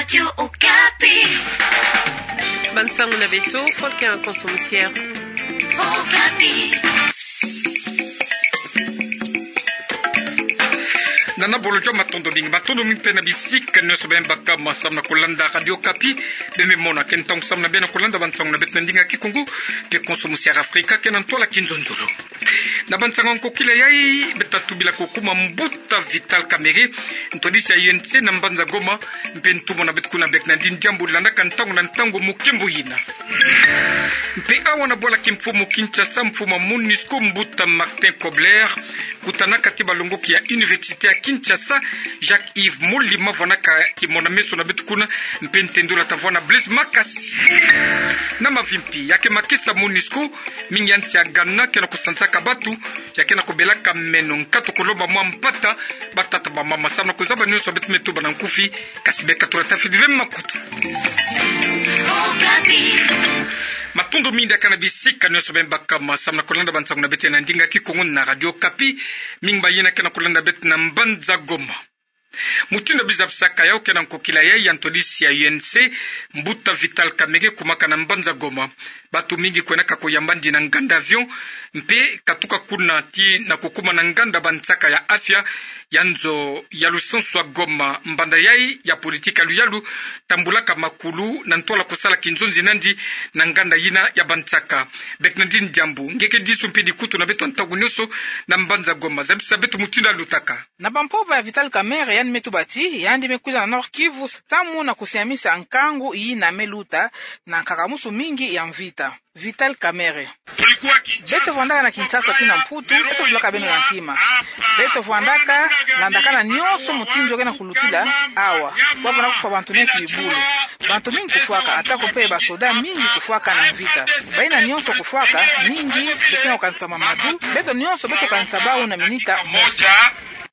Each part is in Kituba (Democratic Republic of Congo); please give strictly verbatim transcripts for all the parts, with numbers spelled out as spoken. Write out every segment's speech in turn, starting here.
Radio Okapi. Bansango na beto, Volker Nkonso Musiere. Okapi. Nana bolo joma, matondo mingi. Matondo mingi mpe na bisika nyonso bima baka ma samu na kulanda Radio Okapi. Bima mona ke ntangu samu na bima na kulanda bansango na beto na ndinga kikungu, mpe Nkonso Musiere Afrika ke na ntwala kinzonzolo. Na bansango ya nkokila yai, beto tatubila kukuma mbuta Vital Kamerhe, ntwadisi ya U N C na mbanza Goma, mpe ntumwa na beto kuna Bernardine Diambu landaka ntangu na ntangu mukimbu yina. Mpe awa na bwala kimfumu Kinshasa, mfumu ya MONUSCO mbuta Martin Kobler kutanaka ti balongoki ya Université ya Kinshasa, Jacques Yves Molima, vwanaka kimona meso na beto kuna, mpe ntendolo tavwanda Blaise Makasi. Na mavimpi, ya ke makesa MONUSCO, mingi ya nsi ya Ghana ke na kusansaka batu, ya ke na kubelaka meno nkatu kulomba mwa mpata, batata bamama samu na kuzaba nyonso beto me tuba na nkufi, kasi beka tula tafidi ve makutu. Matondo mingi diaka na bisika nyonso bima baka ma samu na kulanda bansango na beto na ndinga kikungu na Radio Okapi, mingi bayina ke na kulanda beto na mbanza Goma. Mutindu biza bisaka yau ke na nkokila yai ya ntwadisi ya U N C, mbuta Vital Kamerhe kumaka na mbanza Goma. Batu mingi kwendaka kuyamba ndi na nganda avion, mpe katuka kuna ti na kukuma na nganda bansaka ya afya ya nzo ya lusansu ya Goma. Mbanda yai ya politika luyalu tambulaka makulu na ntwala kusala kinzonzi na ndi na nganda yina ya bansaka. Bernardine Diambu, nge ke disu mpe dikutu na beto ntangu nyonso na mbanza Goma, zabisa beto mutindu yalutaka. Na bampova ya Vital Kamerhe, yandi me tuba ti yandi me kwiza na Nord-Kivu samu na kusiamisa nkangu yina me luta na nkakamusu mingi ya mvita. Vital Kamerhe. Beto vwandaka na Kinshasa tii na Mputu, beto fulaka beno na ntima. Beto vwandaka landakana nyonso mutindu yo ke na kulutila awa. Bavwanda kufwa bantu neti bibulu. Bantu mingi kufwaka, ata ko mpe basoda mingi kufwaka na mvita. Bayina nyonso kufwaka, mingi beke na kukanisa mwa madu, beto nyonso beto kanisa bau na minita mosi.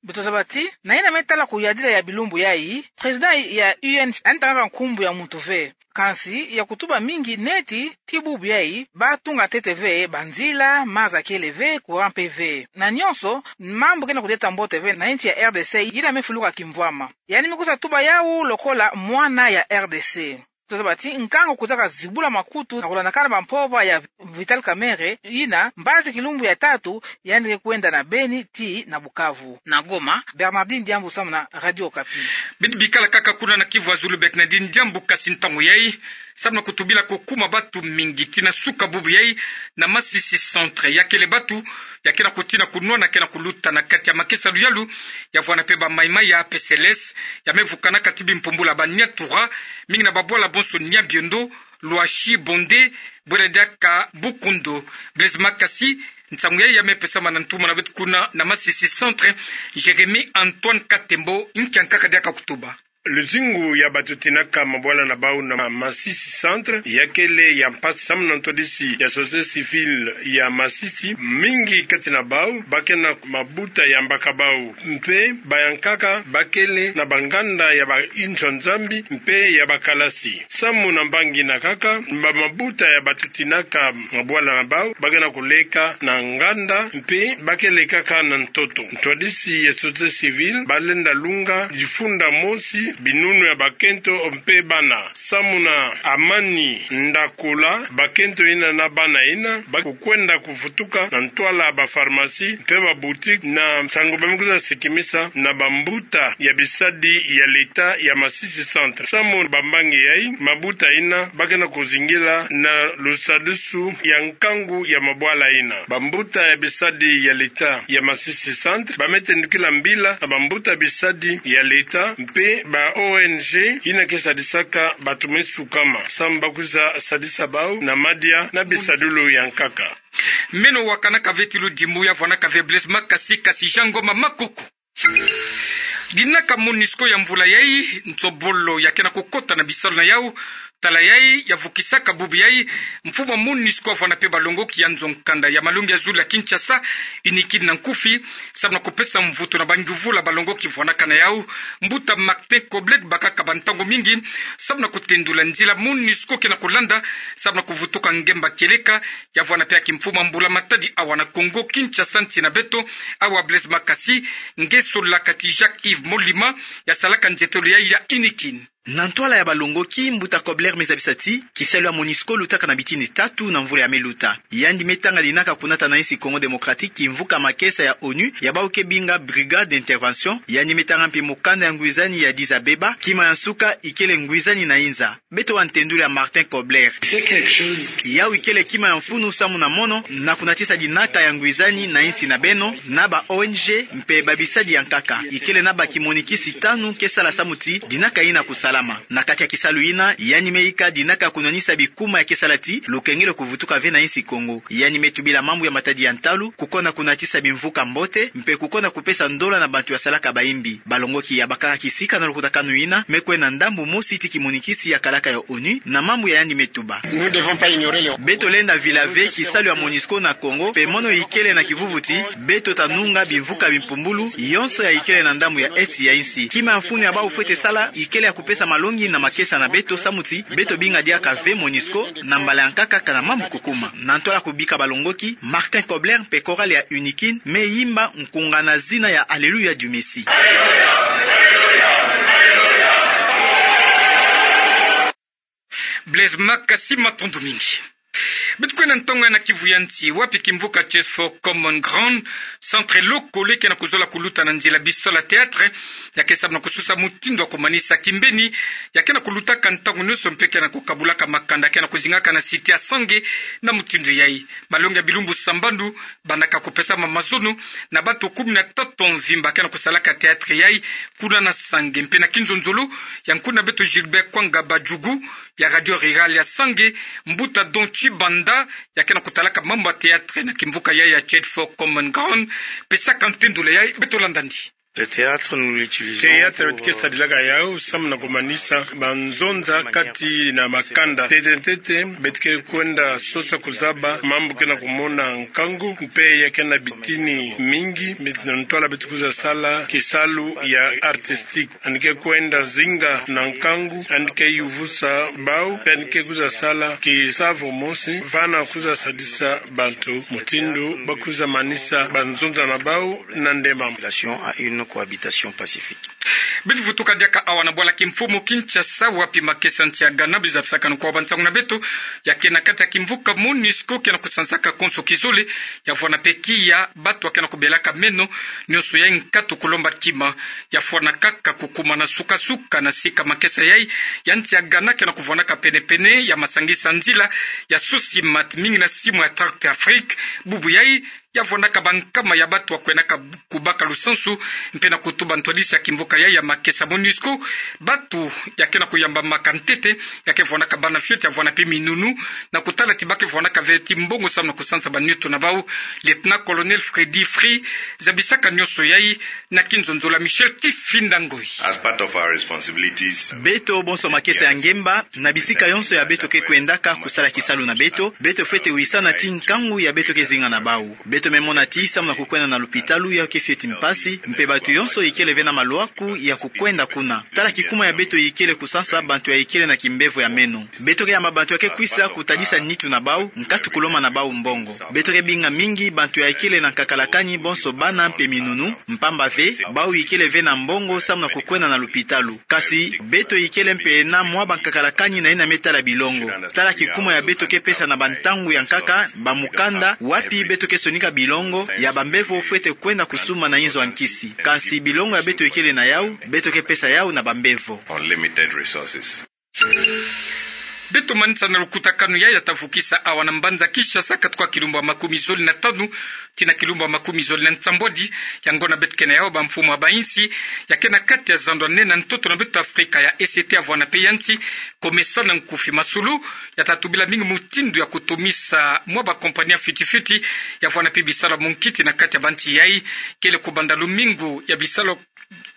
Beto zaba ti, na yina me tala kuyadila ya bilumbu yai, président ya U N yandi tangaka nkumbu ya muntu ve. Kansi ya kutuba mingi neti ti bubu yai, batunga ntete ve banzila, maza kele ve, courant mpe ve. Na nyonso, mambu ke na kudeta mbote ve na nsi ya R D C, yina me fuluka kimvwama. Yandi me kwiza tuba yau lokola mwana ya R D C. Tozaba ti nkangu kutaka zibula makutu na kulandakana bampova ya Vital Kamerhe, yina mbazi kilumbu ya tatu yandi ke kwenda na Beni tii na Bukavu. Na Goma, Bernardine Diambu samu na Radio Okapi. Bidi bikala kaka kuna na Kivu ya Zulu, Bernardine Diambu, kasi ntangu yai, samu na kutubila kukuma batu mingi tii na suka bubu yai na Masisi Centre. Ya kele batu ya ke na kutina kunwana, ke na kuluta na kati ya makesa luyalu, ya vwanda mpe ba Mai-Mai ya A P C L S, ya me vukanaka ti bimpumbulu ya ba Nyatura, mingi na babwala bonso Nyabiondo, Lwashi, Bonde, bwela diaka Bukundu. Blaise Makasi, nsangu yai ya me pesama na ntumwa na beto kuna na Masisi Centre, Jérémie Antoine Katembo, nkia nkaka diaka kutuba. Luzingu ya batutinaka mabwala na bau na Masisi Centre ya kele ya mpasi samu na ntwadisi ya société civile ya Masisi. Mingi kati na bau ba ke na mabuta ya mbaka bau, mpe bayankaka ba kele na banganda ya ba inzo ya Nzambi mpe ya bakalasi. Samu na mbangi na nkaka, ba mabuta ya batutinaka mabwala na bau ba ke na kuleka na nganda, mpe ba ke lekaka na ntoto. Ntwadisi ya société civile balenda lunga difunda mosi binunu ya bakento mpe bana. Samu na Amani Ndakula, bakento yina na bana yina ba kukwenda kufutuka na ntwala ba pharmacie mpe ba boutique, na nsangu ba me kwiza sikimisa na bambuta ya bisadi ya leta ya Masisi Centre. Samu na bambangi yai, mabuta yina ba ke na kuzingila na lusadisu ya nkangu ya mabwala yina. Bambuta ya bisadi ya leta ya Masisi Centre ba me tendukila mbila na bambuta bisadi ya leta mpe ba O N G yina ke sadisaka batu me sukama, samu ba kwiza sadisa bau na madia na bisadulu ya nkaka. Meno wakanaka ve ti ludimbu ya vwanaka ve Blaise Makasi, kasi Jean Ngoma Makuku. Dinaka MONUSCO ya mvula yai, nsobolo ya ke na kukota na bisalu na yau. Tala yai ya vukisaka bubu yai, mfumu ya MONUSCO avwanda mpe balongoki ya nzo nkanda ya malongi ya zulu ya Kinshasa, UNIKID na nkufi, samu na kupesa mvutu na bangiuvula balongoki vwanaka na yau. Mbuta Martin Kobler bakaka bantangu mingi samu na kutendula nzila MONUSCO ke na kulanda samu na kuvutuka ngemba kieleka, ya vwanda mpe ya kimfumu ya mbula matadi awa na Kongo Kinshasa, nsi na beto, awa Blaise Makasi, nge solaka ti Jacques Yves Molima ya salaka nzietolo yai ya UNIKID. Na ntwala ya balongoki, mbuta Kobler me zabisa ti kisalu ya MONUSCO lutaka na bitini tatu na mvula ya me luta. Yandi me tanga dinaka kunata na insi Congo Démocratique kimvuka makesa ya ONU ya bau ke binga Brigade d'intervention. Yandi me tanga mpe mokanda ya ngwizani ya Addis Abeba, kima ya nsuka ikele ngwizani na inza. Beto wa ntendulu ya Martin Kobler. Yau ikele kima ya mfunu samu na mono na kunatisa dinaka ya ngwizani na insi na beno, na ba O N G mpe babisadi ya nkaka. Ikele na ba kimonikisi tanu ke sala samu ti dinaka ina kusalama. Na kati ya kisalu ina, yandi me ika dinaka kunwanisa bikuma ya ke sala ti lukengelo kuvutuka ve na insi Kongo. Yandi me tubila mambu ya matadi ya ntalu, kukonda kunatisa bimvuka mbote, mpe kukonda kupesa ndola na bantu ya salaka bayimbi. Balongoki ya bakaka kisika na lukutakanu ina me kwenda ndambu mosi ti kimonikisi ya kalaka ya ONU na mambu ya yandi me tuba. Beto lenda vila ve kisalu ya MONUSCO na Congo, mpe mono ikele na kivuvu ti beto ta nunga bimvuka bimpumbulu yonso ya ikele na ndambu ya esti ya insi. Kima ya mfunu ya bau fwete sala ikele ya kupesa malongi na makesa na beto samu ti beto binga diaka ve MONUSCO na mbala ya nkaka kana mambu kukuma. Na ntwala kubika balongoki, Martin Kobler mpe chorale ya UNIKIN me yimba nkunga na zina ya Alléluia du Messie. Blaise Makasi, matondo mingi. Beto kwenda ntongo ya na kivu ya nsi, wapi kimvuka Church for Common Ground, centre lokole ke na kuzola kuluta na nzila bisalu ya théâtre, ya ke samu na kususa mutindu ya kumanisa kimbeni, ya ke na kulutaka ntangu nyonso mpe ke na kukabulaka makanda ke na kuzingaka na cité ya Sange. Na mutindu yai, malongi ya bilumbu sambanu, bandaka kupesama mazono na bantu kumi na tatu mvimba ke na kusalaka théâtre yai kuna na Sange. Mpe na kinzonzolo ya nkuna beto Gilbert Kwanga Badjugu ya Radio Rurale ya Sange, mbuta Don Chibanda, ya ke na kutalaka mambu ya théâtre na kimvuka yai ya Church for Common Ground, pesaka ntendolo yai, beto landa ndi. Le théâtre, nous l'utilisons. Théâtre pour, beto ke sadilaka yau samu na kumanisa banzonza kati na makanda. Ntete ntete, beto ke kwenda sosa kuzaba mambu ke na kumona nkangu, mpe ya ke na bitini mingi, mpe na ntwala beto kwiza sala kisalu ya artistique. Yandi ke kwenda zinga na nkangu, yandi ke yuvusa bau, yandi ke kwiza sala kisavu mosi, va na kwiza sadisa bantu mutindu ba kwiza manisa banzonza na bau na ndemama. Relation à une cohabitation pacifique. Beto vutuka diaka awa na bwala kimfumu Kinshasa, wapi makesa nsi ya Ghana, biza pisakanu kwa bansangu na beto, ya ke na kati ya kimvuka MONUSCO ke na kusansaka konso kizole, ya vwanda mpe kiya bantu ya ke na kubelaka meno, nyonso yai nkatu kulomba kima, ya vwanda kaka kukuma na sukasuka na sika makesa yai ya nsi ya Ghana ke na kuvwandaka penepene ya masangisa nzila ya Sosimat, mingi na simu ya Tract Afrique. Bubu yai ya vwandaka bankama ya bantu ya kwendaka kubaka lusansu, mpe na kutuba ntwadisi ya kimvuka yai ya makesa MONUSCO, bantu ya ke na kuyambamaka ntete, ya ke vwandaka bana fioti, ya vwanda mpe minunu, na kutala ti ba ke vwandaka ve ti mbongo samu na kusansa banioto na bau. Lieutenant-colonel Freddy Free zabisaka nyonso yai na kinzonzolo ya Michel Kifinda Ngoi. As part of our responsibilities, beto bonso makesa ya ngemba, na bisika yonso ya beto ke kwendaka kusala kisalu na beto, beto fwete wisana ti nkangu ya beto ke zinga na bau. Beto me mona ti samu na kukwenda na lupitalu yau ke fioti mpasi, mpe bantu yonso ikele ve na malwaku ya kukwenda kuna. Tala kikuma ya beto ikele kusansa bantu ya ikele na kimbevo ya meno. Beto ke yamba bantu ya ke kwisa kutadisa nitu na bau, nkatu kulomba na bau mbongo. Beto ke binga mingi bantu ya ikele na nkakalakani, bonso bana mpe minunu, mpamba ve bau ikele ve na mbongo samu na kukwenda na lupitalu. Kasi beto ikele mpe na mwa bankakalakani na yina me tala bilongo. Tala kikuma ya beto ke pesa na bantangu ya nkaka, bamukanda, wapi beto ke sonika bilongo ya bambevo fwete kwenda kusumba na inzo ya nkisi. Kasi bilongo ya beto ikele na yau, beto ke pesa yau na bambevo. Unlimited resources. Beto manisa na lukutakanu yai ya ta vukisa awa na mbanza Kinshasa, katuka kilumbu ya makumi zole na tanu tii na kilumbu ya makumi zole na nsambwadi. Yango na beto ke na yau, bamfumu ya bainsi ya ke na kati ya zando ya nene ya ntoto na beto Afrika, ya E C T, ya vwanda mpe ya nsi, COMESA na nkufi masolo, ya ta tubila mingi mutindu ya kutumisa mwa bakompani ya fioti fioti, ya vwanda mpe bisalu ya munkiti na kati ya bansi yai, kele kubanda lumingu ya bisalu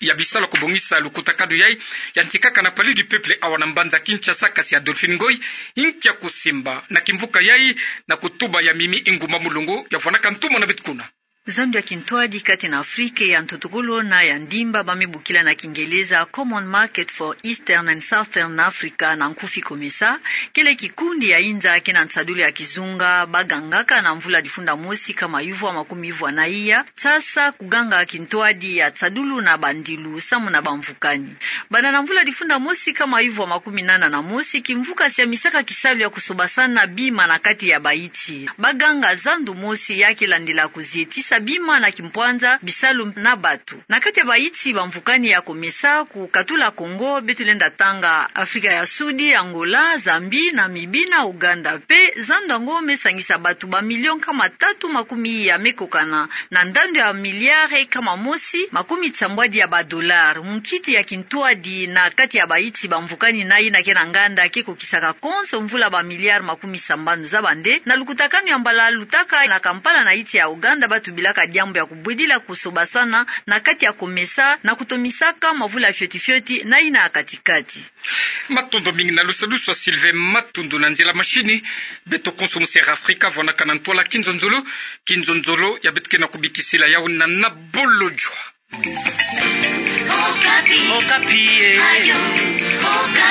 ya bisalu ya kubongisa lukutakanu yai, yantikaka na Palais du Peuple awa na mbanza Kinshasa. Kasi Adolphine Ngoy inki ya kusimba na kimvuka yai, na kutuba ya Mimi Inguma Mulongo, ya vwandaka ntumwa na beto kuna. Zando ya kintwadi kati na Afrika ya ntotokolo na ya ndimba, ba me bokila na Kingeleza Common Market for Eastern and Southern Africa, na nkufi COMESA, kele kikundi ya inza ke na nsadulu ya kizunga, ba gangaka na mvula difunda mosi kama yuvua makumi yuvua na iya, sasa kuganga kintwadi ya nsadulu na bandilu samu na bamvukani. Banda na mvula difunda mosi kama yuvua makumi nana na mosi, kimvuka sia misaka kisalu ya kusobasana bima na kati ya baiti. Ba ganga zando mosi ya ke landila kuzietisa bima na kimpwanza, bisalu na batu. Na kati ya baiti bamvukani ya COMESA ku katula Kongo, beto lenda tanga Afrika ya Sudi, Angola, Zambie, Namibie na Ouganda. Mpe zando yango me sangisa batu ba million kama tatu makumi iya me kokana na ndandu ya miliare kama mosi makumi sambwadi ya ba dollar. Munkiti ya kintwadi na kati ya baiti bamvukani na ina ke na nganda ke kokisaka konso mvula ba miliare makumi sambanu za bande. Na lukutakanu ya mbala lutaka na Kampala na iti ya Ouganda, ba tubilaka diambu ya kubwedila kusobasana na kati ya COMESA na kutomisaka mavula fioti fioti na ina ya katikati. Matondo mingi na lusadusu a Sylvain Matundu. Na nzila mashini, beto konso mu Sera Afrika, vwanaka na ntwala kinzonzolo, kinzonzolo ya beto ke na kubikisila yau na Nabolojwa. Okapi. Okapi, eh. Radio Okapi.